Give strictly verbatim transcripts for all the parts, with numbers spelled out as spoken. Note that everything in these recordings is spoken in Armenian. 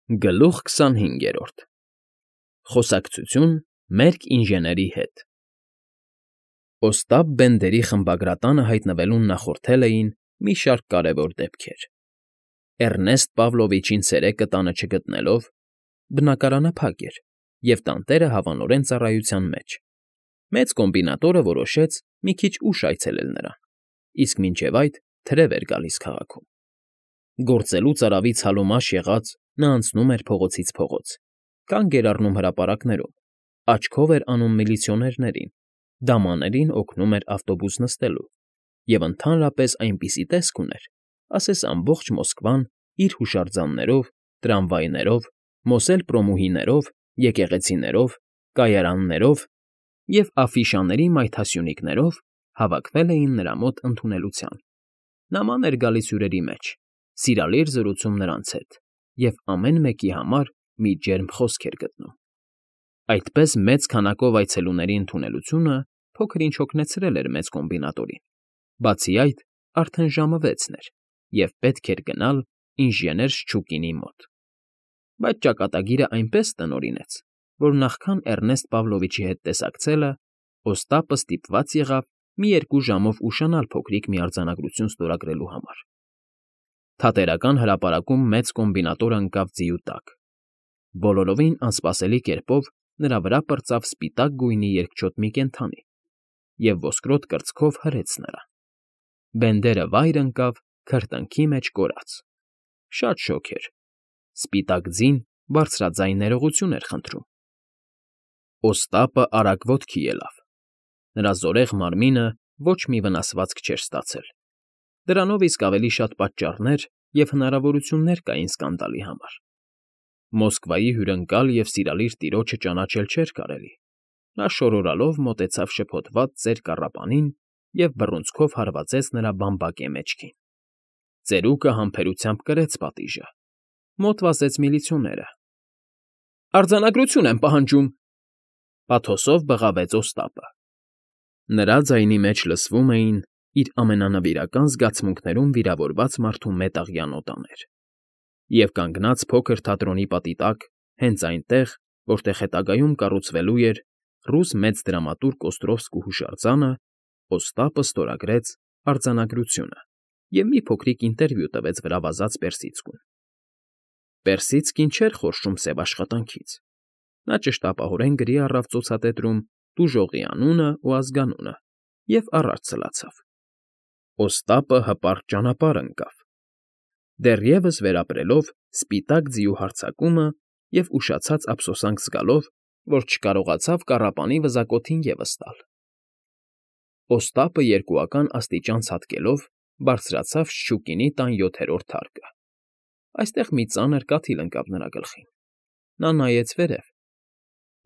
Գլուխ քսանհինգերորդ Խոսակցություն մերկ ինժեների հետ Օստապ Բենդերի խմբագրատանը հայտնվելուն նախորդել էին մի շարք կարևոր դեպքեր. Էռնեստ Պավլովիչին ցերեկը տանը չգտնելով, բնակարանը փակ էր, և տանտերը հավանորեն ծառայության մեջ, մեծ կոմբինատորը որոշեց մի քիչ ուշ այցելել նրան, իսկ մինչև այդ թրև էր գալիս քաղաքում. Գործելուց արավի ցալումաշ եղած նա անցնում էր փողոցից փողոց, կանգ էր առնում հրապարակներում, աչքով էր անում միլիցիոներներին, դամաներին օգնում էր ավտոբուս նստելու և ընդհանրապես այնպիսի տեսք ուներ, ասես ամբողջ Մոսկվան իր հուշարձաններով, տրամվայներով, մոսել֊պրոմուհիներով, եկեղեցիներով, կայարաններով և աֆիշաների մայթասյունիկներով հավաքվել էին նրա մոտ ընդունելության. նման էր գալիս հյուրերի մեջ, սիրալիր զրուցում նրանց հետ և ամեն մեկի համար մի ջերմ խոսք էր գտնում. Այդպես մեծ քանակով այցելուների ընդունելությունը փոքր֊ինչ հոգնեցրել էր մեծ կոմբինատորին, բացի այդ, արդեն ժամը վեցն էր, և պետք էր գնալ ինժեներ Շչուկինի մոտ. Բայց ճակատագիրը այնպես տնօրինեց, որ նախքան Էռնեստ Պավլովիչի հետ տեսակցելը, Օստապը ստիպված եղավ մի երկու ժամով ուշանալ փոքրիկ մի արձանագրություն ստորագրելու համար. Թատերական հրապարակում մեծ կոմբինատորը ընկավ ձիու տակ. բոլորովին անսպասելի կերպով նրա վրա պրծավ սպիտակ գույնի երկչոտ մի կենդանի և ոսկրոտ կրծքով հրեց նրան. Բենդերը վայր ընկավ քրտինքի մեջ կորած. շատ շոգ էր, սպիտակ ձին բարձրաձայն ներողություն էր խնդրում. Օստապը արագ ոտքի ելավ. նրա զորեղ մարմինը ոչ մի վնասվածք չէր ստացել, դրանով իսկ ավելի շատ պատճառներ և հնարավորություններ կային սկանդալի համար. Մոսկվայի հյուրընկալ և սիրալիր տիրոջը ճանաչել չէր կարելի, նա շորորալով մոտեցավ շփոթված ծեր կառապանին և բռունցքով հարվածեց նրա բամբակե մեջքին. ծերուկը համբերությամբ կրեց պատիժը, մոտ վազեց միլիցիոները. Արձանագրություն եմ պահանջում, պաթոսով բղավեց Օստապը. նրա ձայնի մեջ լսվում էին իր ամենանվիրական զգացմունքներում վիրավորված մարդու մետաղյա նոտաներ, և կանգնած փոքր թատրոնի պատի տակ, հենց այնտեղ, որտեղ հետագայում կառուցվելու էր ռուս մեծ դրամատուրգ Օստրովսկու հուշարձանը, Օստապը ստորագրեց արձանագրությունը և մի փոքրիկ ինտերվյու տվեց վրա վազած Պերսիցկուն. Պերսիցկին չէր խորշում սև աշխատանքից, նա ճշտապահորեն գրի առավ ծոցատետրում տուժողի անունն ու ազգանունը և առաջ սլացավ. Օստապը հպարտ ճանապարհ ընկավ, դեռևս վերապրելով սպիտակ ձիու հարձակումը և ուշացած ափսոսանք զգալով, որ չկարողացավ կառապանի վզակոթին ևս տալ. Օստապը երկուական աստիճան ցատկելով բարձրացավ Շչուկինի տան յոթերորդ հարկը. այստեղ մի ծանր կաթիլ ընկավ նրա գլխին. նա նայեց վերև.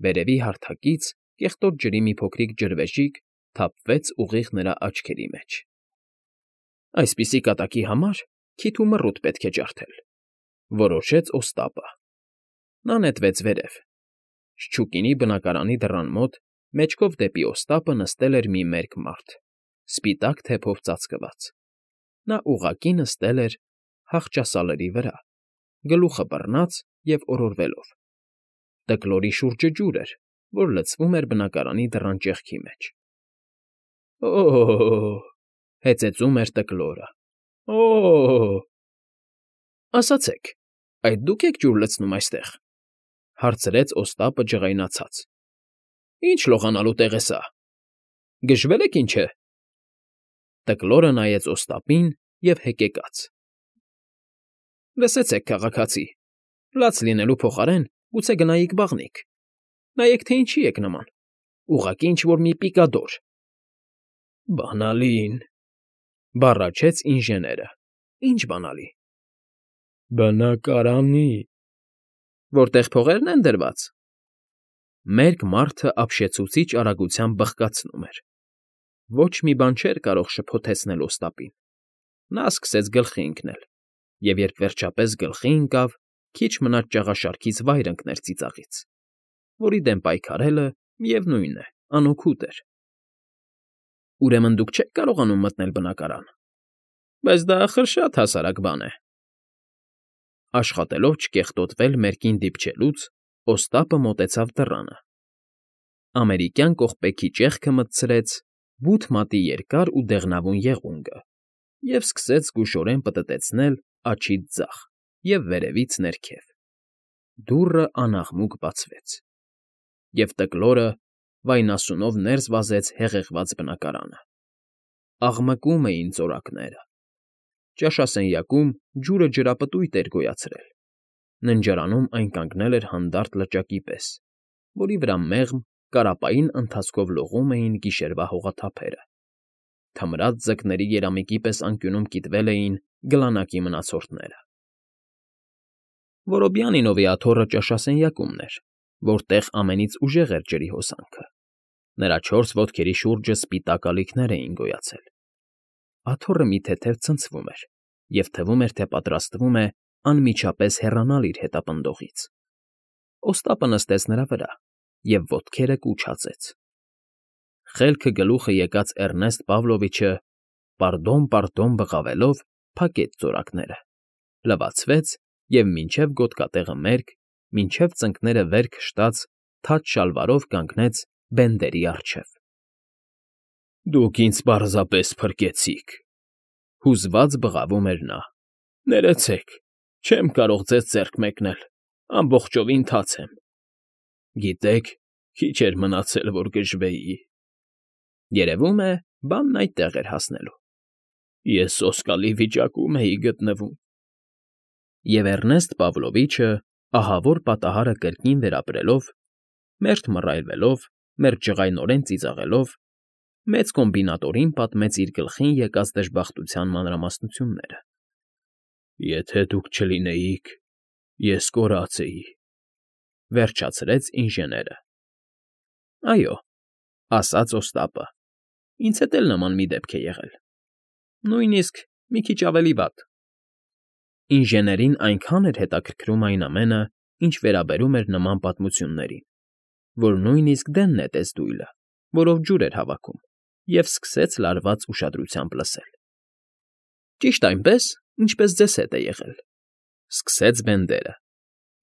վերևի հարթակից կեղտոտ ջրի մի փոքրիկ ջրվեժիկ թափվեց ուղիղ նրա աչքերի մեջ. այսպիսի կատակի համար քիթ ու մռութ պետք է ջարդել, որոշեց Օստապը. նա նետվեց վերև. Շչուկինի բնակարանի դռան մոտ, մեջքով դեպի Օստապը նստել էր մի մերկ մարդ, սպիտակ թեփով ծածկված. նա ուղղակի նստել էր հախճասալերի վրա, գլուխը բռնած և օրորվելով. Տկլորի շուրջը ջուր էր, որ լցվում էր բնակարանի դռան ճեղքի մեջ. Օ՜օ՜օ, հեծեծում էր Տկլորը, օ՜օ՜օ… Ասացեք, այդ դու՞ք եք ջուր լցնում այստեղ, հարցրեց Օստապը ջղայնացած. Ի՞նչ լողանալու տեղ է սա, գժվել եք ինչ է… Տկլորը նայեց Օստապին և հեկեկաց. Լսեցեք, քաղաքացի, լաց լինելու փոխարեն գուցե գնայիք բաղնիք, նայեք, թե ինչի եք նման, ուղղակի ինչ֊որ մի պիկադոր… Բանալին, բառաչեց ինժեները, ի՞նչ բանալի… Բնակարանի… Որտեղ փողերն են դրված… Մերկ մարդը ապշեցուցիչ արագությամբ բղկացնում էր… Ոչ մի բան չէր կարող շփոթեցնել Օստապին… Նա սկսեց գլխի ընկնել, և երբ վերջապես գլխի ընկավ, քիչ մնաց ճաղաշարքից վայր ընկներ ծիծաղից, որի դեմ պայքարելը, միևնույն է, անօգուտ էր… Ուրեմն դուք չեք կարողանում մտնել բնակարան… Բայց դա ախր շատ հասարակ բան է… Աշխատելով չկեղտոտվել մերկին դիպչելուց, Օստապը մոտեցավ դռանը, ամերիկյան կողպեքի ճեղքը մտցրեց բութ մատի երկար ու դեղնավուն եղունգը և սկսեց զգուշորեն պտտեցնել աջից ձախ և վերևից ներքև. դուռը անաղմուկ բացվեց, և տկլորը վայնասունով ներս վազեց հեղեղված բնակարանը. աղմկում էին ծորակները, ճաշասենյակում ջուրը ջրապտույտ էր գոյացրել, ննջարանում այն կանգնել էր հանդարտ լճակի պես, որի վրա մեղմ, կարապային ընթացքով լողում էին գիշերվա հողաթափերը, թմրած ձկների երամիկի պես անկյունում կիտվել էին գլանակի մնացորդները։ Որոբյանինովի աթոռը ճաշասենյակումն էր, որտեղ ամենից ուժեղ էր ջրի հոսանքը, նրա չորս ոտքերի շուրջը սպիտակ ալիքներ էին գոյացել։ Աթոռը մի թեթև ցնցվում էր, և թվում էր, թե պատրաստվում է անմիջապես հեռանալ իր հետապնդողից։ Օստապը նստեց նրա վրա և ոտքերը կուչացեց։ Խելքը գլուխը եկած Էռնեստ Պավլովիչը պարդոն֊պարդոն բղավելով փակեց ծորակները, լվացվեց և մինչև գոտկատեղը մերկ, մինչև ծնկները վեր քշտած թաց շալվարով կանգնեց բենդերի առջև։ Դուք ինձ պարզապես փրկեցիք,֊ հուզված բղավում էր նա։֊ Ներեցեք, չեմ կարող ձեզ ձեռք մեկնել, ամբողջովին թաց եմ։ Գիտեք, քիչ էր մնացել, որ գժվեի… Երևում է, բանն այդտեղ էր հասնելու։ Ես սոսկալի վիճակում էի գտնվում… Եվ Էռնեստ Պավլովիչը, ահավոր պատահարը կրկին վերապրելով, մերթ մռայլվելով, մերթ ջղայնորեն ծիծաղելով, մեծ կոմբինատորին պատմեց իր գլխին եկած դժբախտության մանրամասնությունները։ Եթե դուք չլինեիք, ես կորած էի,֊ վերջացրեց ինժեները։ Այո,֊ ասաց Օստապը,֊ ինձ հետ էլ նման մի դեպք է եղել, նույնիսկ մի քիչ ավելի վատ… Ինժեներին այնքան էր հետաքրքրում այն ամենը, ինչ վերաբերում էր նման պատմություններին, որ նույնիսկ դեն նետեց դույլը, որով ջուր էր հավաքում, և սկսեց լարված ուշադրությամբ լսել։ Ճիշտ այնպես, ինչպես ձեզ հետ է եղել,֊ սկսեց Բենդերը,֊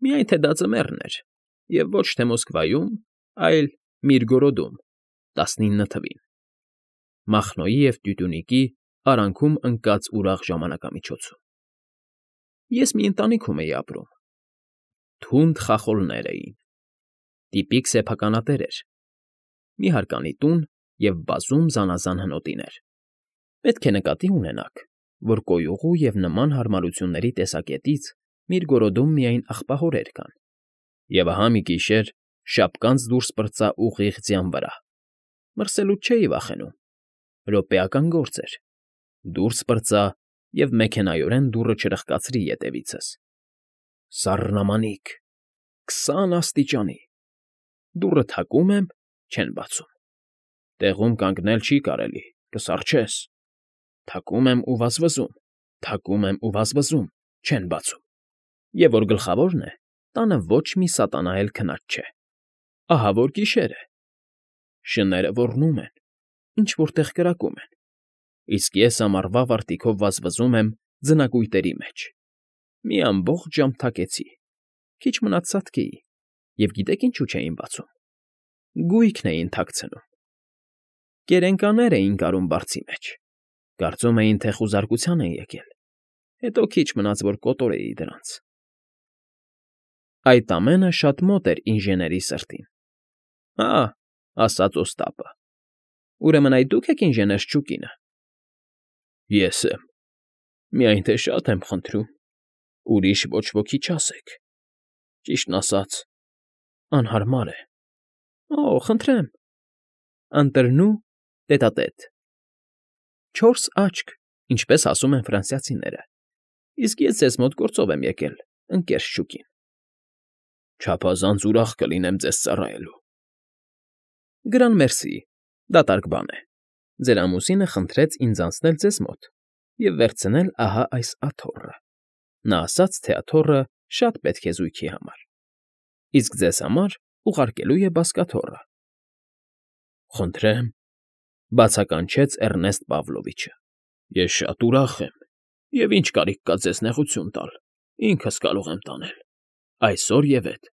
միայն թե դա ձմեռն էր, և ոչ թե Մոսկվայում, այլ Միրգորոդում, տասնինը թվին, Մախնոյի և Տյությունիկի արանքում ընկած ուրախ ժամանակամիջոցում… Ես մի ընտանիքում էի ապրում. թունդ խախոլներ էին, տիպիկ սեփականատեր էր, մի հարկանի տուն և բազում զանազան հնոտիներ… Պետք է նկատի ունենաք, որ կոյուղու և նման հարմարությունների տեսակետից Միրգորոդում միայն աղբահորեր կան, և ահա մի գիշեր շապկանց դուրս պրծա ուղիղ ձյան վրա, մրսելուց չէի վախենում, րոպեական գործ էր, դուրս պրծա և մեքենայորեն դուռը չրխկացրի ետևիցս… Սառնամանիք… քսան աստիճանի… Դուռը թակում եմ՝ չեն բացում… Տեղում կանգնել չի կարելի, կսառչես… Թակում եմ ու վազվզում, թակում եմ ու վազվզում, չեն բացում… Եվ որ գլխավորն է, տանը ոչ մի սատանա էլ քնած չէ… Ահա որ գիշեր է… Շները ոռնում են, ինչ֊որ տեղ կրակում են, իսկ ես ամառվա վարտիքով վազվզում եմ ձնակույտերի մեջ… Մի ամբողջ ժամ թակեցի, քիչ մնաց ծածկեի, և գիտեք ինչու չէին բացում… Գույքն էին թաքցնում… Կերենկաներ էին կարում բարձի մեջ, կարծում էին, թե խուզարկության են եկել, հետո քիչ մնաց, որ կոտորեի դրանց… Այդ ամենը շատ մոտ էր ինժեների սրտին։ Հա՜, ասաց Օստապը,֊ ուրեմն այդ դու՞ք եք ինժեներ Շչուկինը։ Ես եմ… Միայն թե շատ եմ խնդրում, ուրիշ ոչ ոքի չասեք… Ճիշտն ասած, անհարմար է… Օ՜, խնդրեմ… Ընտրնու տետատետ… Չորս աչք, ինչպես ասում են ֆրանսիացիները, իսկ ես ձեզ մոտ գործով եմ եկել, ընկեր Շչուկին… Չափազանց ուրախ կլինեմ ձեզ ծառայելու… Գրան մերսի, դատարկ բան է… Ձեր ամուսինը խնդրեց ինձ անցնել ձեզ մոտ և վերցնել ահա այս աթոռը… Նա ասաց, թե աթոռը շատ պետք է զույգի համար, իսկ ձեզ համար ուղարկելու է բազկաթոռը… Խնդրեմ,֊ բացականչեց Էռնեստ Պավլովիչը,֊ ես շատ ուրախ եմ, և ինչ կարիք կա ձեզ նեղություն տալ… Ինքս կարող եմ տանել, այսօր և էդ։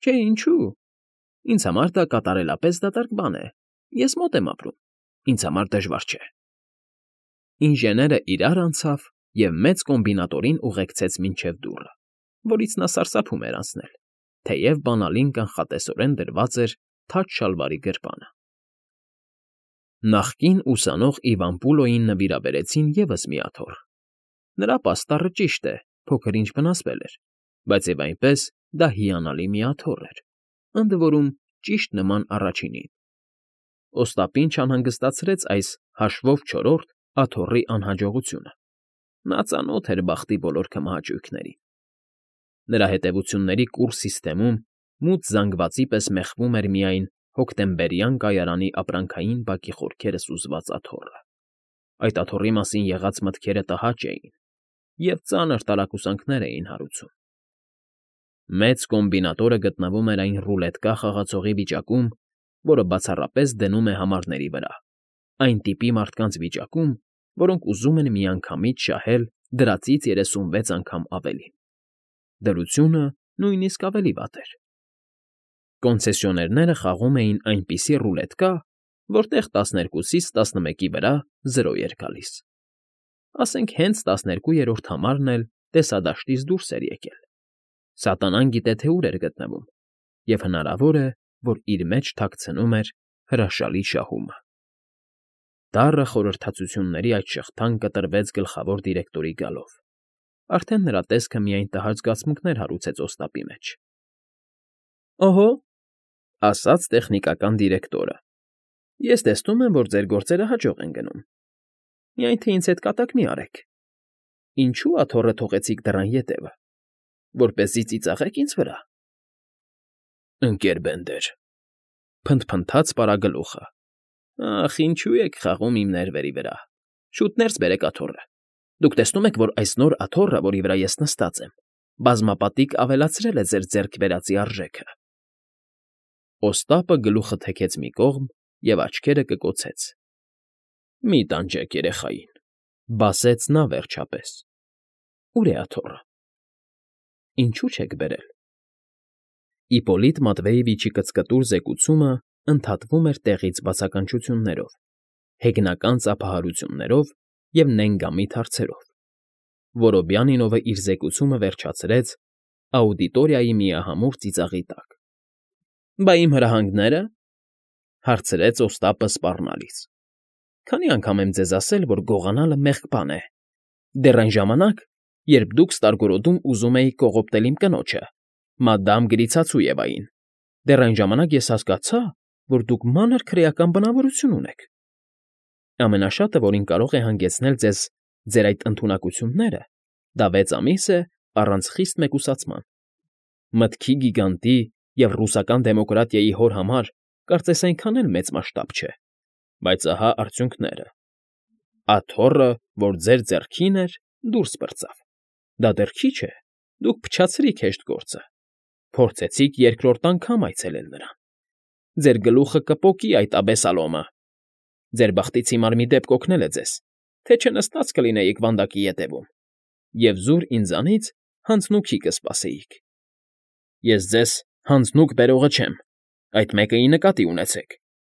Չէ, ինչու՞։ Ինձ համար դա կատարելապես դատարկ բան է, ես մոտ եմ ապրում, ինձ համար դժվար չէ։ Ինժեները իրար անցավ և մեծ կոմբինատորին ուղեկցեց մինչև դուռը, որից նա սարսափում էր անցնել, թեև բանալին կանխատեսորեն դրված էր թաց շալվարի գրպանը։ Նախկին ուսանող Իվան Պուլոյին նվիրաբերեցին ևս մի աթոռ։ Նրա պաստառը, ճիշտ է, փոքր-ինչ վնասվել էր, բայց և այնպես դա հիանալի մի աթոռ էր, ընդ որում ճիշտ նման առաջինին։ Օստապին չանհանգստացրեց այս հաշվով չորրորդ աթոռի անհաջողությունը։ Նա ծանոթ էր բախտի բոլոր քմահաճույքներին։ Նրա հետևությունների կուռ սիստեմում մութ զանգվածի պես մեխվում էր միայն հոկտեմբերյան կայարանի ապրանքային բակի խորքերը սուզված աթոռը։ Այդ աթոռի մասին եղած մտքերը տհաճ էին և ծանր տարակուսանքներ էին հարուցում։ Մեծ կոմբինատորը գտնվում էր այն ռուլետկա խաղացողի վիճակում, որը բացառապես դնում է համարների վրա, այն տիպի մարդկանց վիճակում, որոնք ուզում են միանգամից շահել դրածից երեսունվեց անգամ ավելին։ Դրությունը նույնիսկ ավելի վատ էր։ Կոնցեսիոներները խաղում էին այնպիսի ռուլետկա, որտեղ տասներկուսից տասնմեկի վրա զրո էր գալիս։ Ասենք հենց տասներկուերորդ համարն էլ տեսադաշտից դուրս էր եկել։ Սատանան գիտե, թե ուր էր գտնվում, և հնարավոր է, որ իր մեջ թաքցնում էր հրաշալի շահումը։ Դառը խորհրդածությունների այդ շղթան կտրվեց գլխավոր դիրեկտորի գալով։ Արդեն նրա տեսքը միայն տհաճ զգացմունքներ հարուցեց Օստապի մեջ։ ֊ Օհո,֊ ասաց տեխնիկական դիրեկտորը,֊ ես տեսնում եմ, որ ձեր գործերը հաջող են գնում։ Միայն թե ինձ հետ կատակ մի արեք։ Ինչո՞ւ աթոռը թողեցիք դռան ետևը, որպեսզի ծիծաղեք ինձ վրա։ ֊ Ընկեր Բենդեր,֊ փնթփնթաց պարագլուխը,֊ ախ, ինչո՞ւ եք խաղում իմ ներվերի վրա։ Շուտ ներս բերեք աթոռը։ Դուք տեսնում եք, որ այս նոր աթոռը, որի վրա ես նստած եմ, բազմապատիկ ավելացրել է ձեր ձեռք բերածի արժեքը։ Օստապը գլուխը թեքեց մի կողմ և աչքերը կկոցեց։ ֊ Մի տանջեք երեխային,֊ բասեց նա վերջապես։ ֊ Ո՞ւր է աթոռը։ ֊ Ինչո՞ւ չեք բերել։ Իպոլիտ Մատվեևիչի կծկտուր զեկուցումը ընդհատվում էր տեղից բացականչություններով, հեգնական ծափահարություններով և նենգամիտ հարցերով։ Որոբյանինովը իր զեկուցումը վերջացրեց աուդիտորիայի միահամուռ ծիծաղի տակ։ ֊ Բա իմ հրահանգները,֊ հարցրեց Օստապը սպառնալից։ ֊ Քանի՞ անգամ եմ ձեզ ասել, որ գողանալը մեղք բան է։ Դեռ այն ժամանակ, երբ դուք ստարգորոդում ուզում էիք կողոպտել իմ կնոջը, մադամ Գրիցածույևային, դեռ այն ժամանակ ես հասկացա, որ դուք մանր քրեական բնավորություն ունեք։ Ամենաշատը, որին կարող է հանգեցնել ձեզ ձեր այդ ընդունակությունները, դա վեց ամիս է առանց խիստ մեկուսացման։ Մտքի գիգանտի և ռուսական դեմոկրատիայի հոր համար կարծես այնքան էլ մեծ մասշտաբ չէ, բայց ահա արդյունքները. աթոռը, որ ձեր ձեռքին էր, դուրս պրծավ։ Դա դեռ քիչ է, դուք փչացրիք հեշտ գործը, փորձեցիք երկրորդ անգամ այցելել նրան։ Ձեր գլուխը կպոկի այդ աբեսալոմը։ Ձեր բախտից հիմար մի դեպք օգնել է ձեզ, թե չնստած կլինեիք վանդակի ետևում, և զուր ինձանից հանձնուքի կսպասեիք։ Ես ձեզ հանձնուկ բերողը չեմ, այդ մեկը ի նկատի ունեցեք,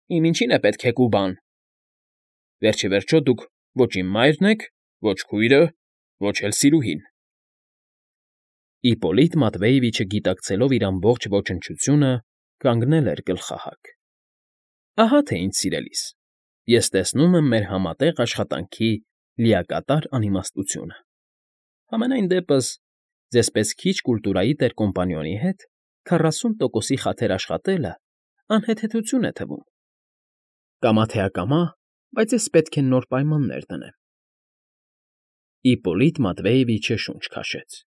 իմ ինչին է պետք հեկ ու բան։ Վերջիվերջո դուք ոչ իմ մայրն եք, ոչ քույրը, ոչ էլ սիրուհին։ Իպոլիտ Մատվեևիչը, գիտակցելով իր ամբողջ ոչնչությունը, կանգնել էր գլխահակ։ Ահա թե ինչ, սիրելիս, ես տեսնում եմ մեր համատեղ աշխատանքի լիակատար անիմաստությունը։ Համենայն դեպս, ձեզպես քիչ կուլտուրայի տեր֊կոմպանիոնի հետ քառասուն տոկոսի խաթր աշխատելը անհեթեթություն է թվում։ Կամա թե ակամա, բայց ես պետք է նոր պայմաններ դնեմ։ Իպոլիտ Մատվեևիչը շունչ քաշեց։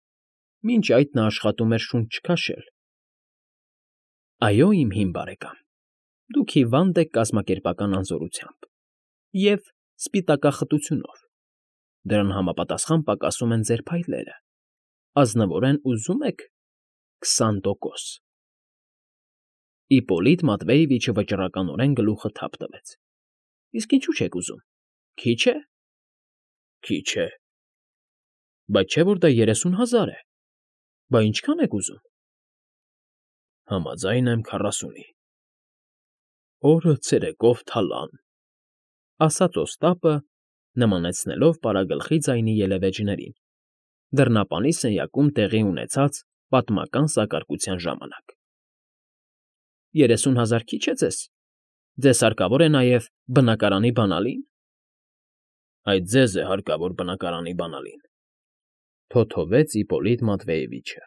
Մինչ այդ նա աշխատում էր շունչ չքաշել։ Այո, իմ հին բարեկամ, դուք հիվանդ եք կազմակերպական անզորությամբ և սպիտակախտությունով։ Դրան համապատասխան պակասում են ձեր փայլերը։ Ազնվորեն ուզում եք քսան տոկոս։ Իպոլիտ Մատվեևիչը վճռականորեն գլուխը թափ տվեց։ Իսկ ինչու՞ չեք ուզում, քիչ է։ Քիչ է։ Բայց չէ՞ որ դա երեսուն հազար է։ Բա ինչքա՞ն եք ուզում։ Համաձայն եմ քառասունի։ Օրը ցերեկով թալան,֊ ասաց Օստապը, նմանեցնելով պարագլխի ձայնի ելևէջներին, դռնապանի սենյակում տեղի ունեցած պատմական սակարկության ժամանակ։ Երեսուն հազար քիչ է ձեզ։ Ձեզ հարկավոր է նաև բնակարանի բանալի՞ն։ Այդ ձեզ է հարկավոր բնակարանի բանալին,֊ թոթովեց Իպոլիտ Մատվեևիչը։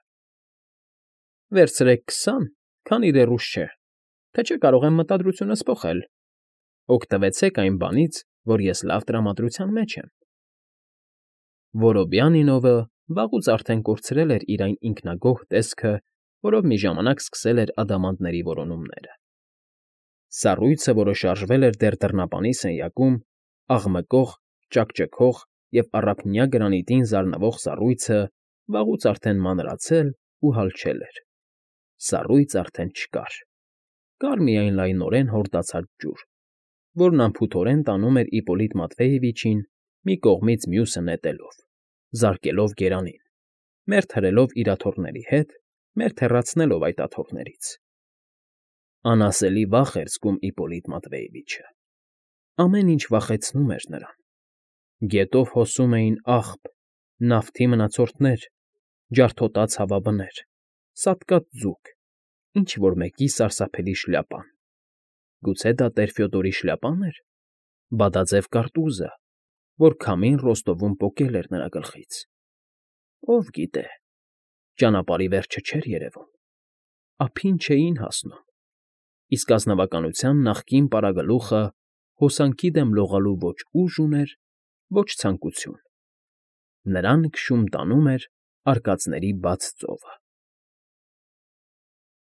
Վերցրեք քսան, քանի դեռ ուշ չէ, թե չէ կարող եմ մտադրությունս փոխել։ Օգտվեցեք այն բանից, որ ես լավ տրամադրության մեջ եմ։ Որոբյանինովը վաղուց արդեն կորցրել էր իր այն ինքնագոհ տեսքը, որով մի ժամանակ սկսել էր ադամանդների որոնումները։ Սառույցը, որը շարժվել էր դեռ դռնապանի սենյակում, աղմկող, ճաքճքող և առափնյա գրանիտին զարնվող սառույցը վաղուց արդեն մանրացել ու հալչել էր։ Սառույց արդեն չկար։ Կար միայն լայնորեն հորդացած ջուր, որն անփութորեն տանում էր Իպոլիտ Մատվեևիչին մի կողմից մյուսը նետելով, զարկելով գերանին, մերթ հրելով իր աթոռների հետ, մերթ հեռացնելով այդ աթոռներից։ Անասելի վախ էր զգում Իպոլիտ Մատվեևիչը։ Ամեն ինչ վախեցնում էր նրան։ Գետով հոսում էին աղբ, նավթի մնացորդներ, ջարդոտած հավաբներ, սատկած ձուկ, ինչ֊որ մեկի սարսափելի շլյապան։ Գուցե դա տեր֊Ֆյոդորի շլյապա՞ն էր, բադաձև կարտուզը, որ քամին Ռոստովում պոկել էր նրա գլխից։ Ով գիտե, ճանապարհի վերջը չէր երևում, ափին չէին հասնում, իսկ ազնվականության նախկին պարագլուխը հոսանքի դեմ լողալու ոչ ուժ ուներ, ոչ ցանկություն. նրան քշում տանում էր արկածների բաց ծովը։